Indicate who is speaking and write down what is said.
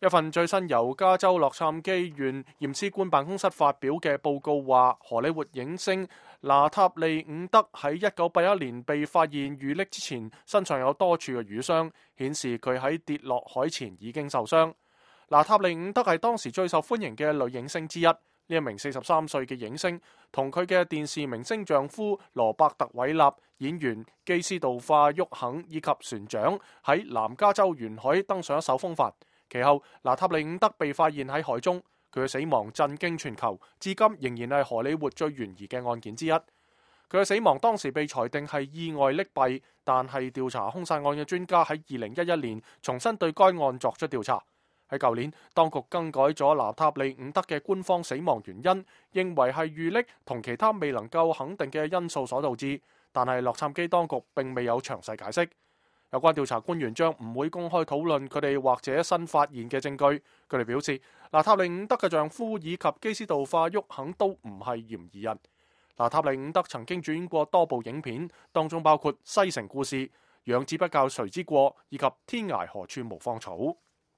Speaker 1: 一份最新由加州洛杉磯縣驗屍官辦公室發表嘅報告話，荷里活影星娜塔莉伍德喺1981年被發現遇溺之前，身上有多處嘅瘀傷，顯示佢喺跌落海前已經受傷。娜塔莉伍德係當時最受歡迎嘅女影星之一。呢一名43歲嘅影星同佢嘅電視明星丈夫羅伯特韋納、演員基斯道化沃肯以及船長喺南加州沿海登上一艘風帆。其後，娜塔莉伍德被發現喺海中，佢嘅死亡震驚全球，至今仍然係荷里活最懸疑嘅案件之一。佢嘅死亡當時被裁定係意外溺斃，但係調查兇殺案嘅專家喺2011年重新對該案作出調查。喺舊年，當局更改咗娜塔莉伍德嘅官方死亡原因，認為係遇溺同其他未能夠肯定嘅因素所導致，但係洛杉磯當局並未有詳細解釋。有關調查官員將唔會公開討論佢哋或者新發現嘅證據。佢哋表示，娜塔莉伍德嘅丈夫以及基斯道化沃肯都唔係嫌疑人。娜塔莉伍德曾經主演過多部影片，當中包括《西城故事》、《養子不教誰之過》以及《天涯何處無芳草》。